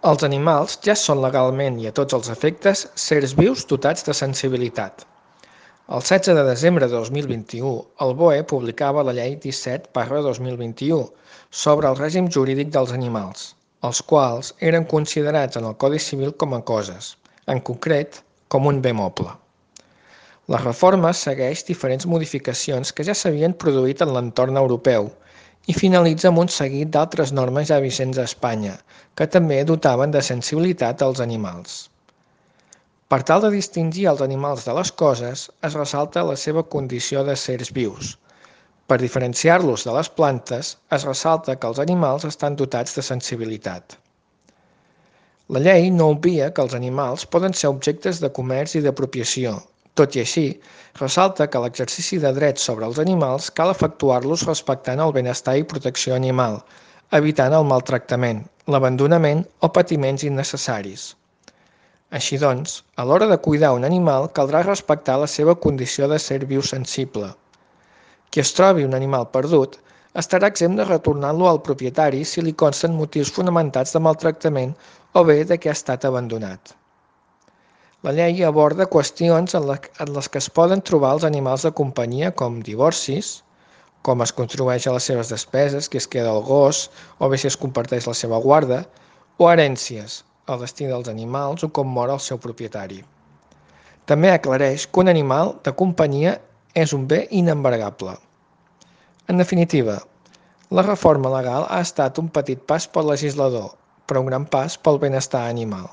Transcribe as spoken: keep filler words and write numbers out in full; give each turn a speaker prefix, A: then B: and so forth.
A: Els animals ja són legalment i a tots els efectes sers vius dotats de sensibilitat. El setze de desembre de dos mil vint-i-u, el B O E publicava la Llei disset barra dos mil vint-i-u sobre el règim jurídic dels animals, els quals eren considerats en el Codi Civil com a coses, en concret, com un bé moble. La reforma segueix diferents modificacions que ja s'havien produït en l'entorn europeu i finalitza amb un seguit d'altres normes ja vigents a Espanya, que també dotaven de sensibilitat als animals. Per tal de distingir els animals de les coses, es ressalta la seva condició de sers vius. Per diferenciar-los de les plantes, es ressalta que els animals estan dotats de sensibilitat. La llei no obvia que els animals poden ser objectes de comerç i d'apropiació. Tot i així, ressalta que l'exercici de drets sobre els animals cal efectuar-los respectant el benestar i protecció animal, evitant el maltractament, l'abandonament o patiments innecessaris. Així doncs, a l'hora de cuidar un animal caldrà respectar la seva condició de ser viu sensible. Qui es trobi un animal perdut estarà exempt de retornar-lo al propietari si li consten motius fonamentats de maltractament o bé de que ha estat abandonat. La llei aborda qüestions en les que es poden trobar els animals de companyia com divorcis, com es contribueix a les seves despeses, qui es queda el gos, o bé si es comparteix la seva guarda, o herències, el destí dels animals o com mor el seu propietari. També aclareix que un animal de companyia és un bé inembargable. En definitiva, la reforma legal ha estat un petit pas pel legislador, però un gran pas pel benestar animal.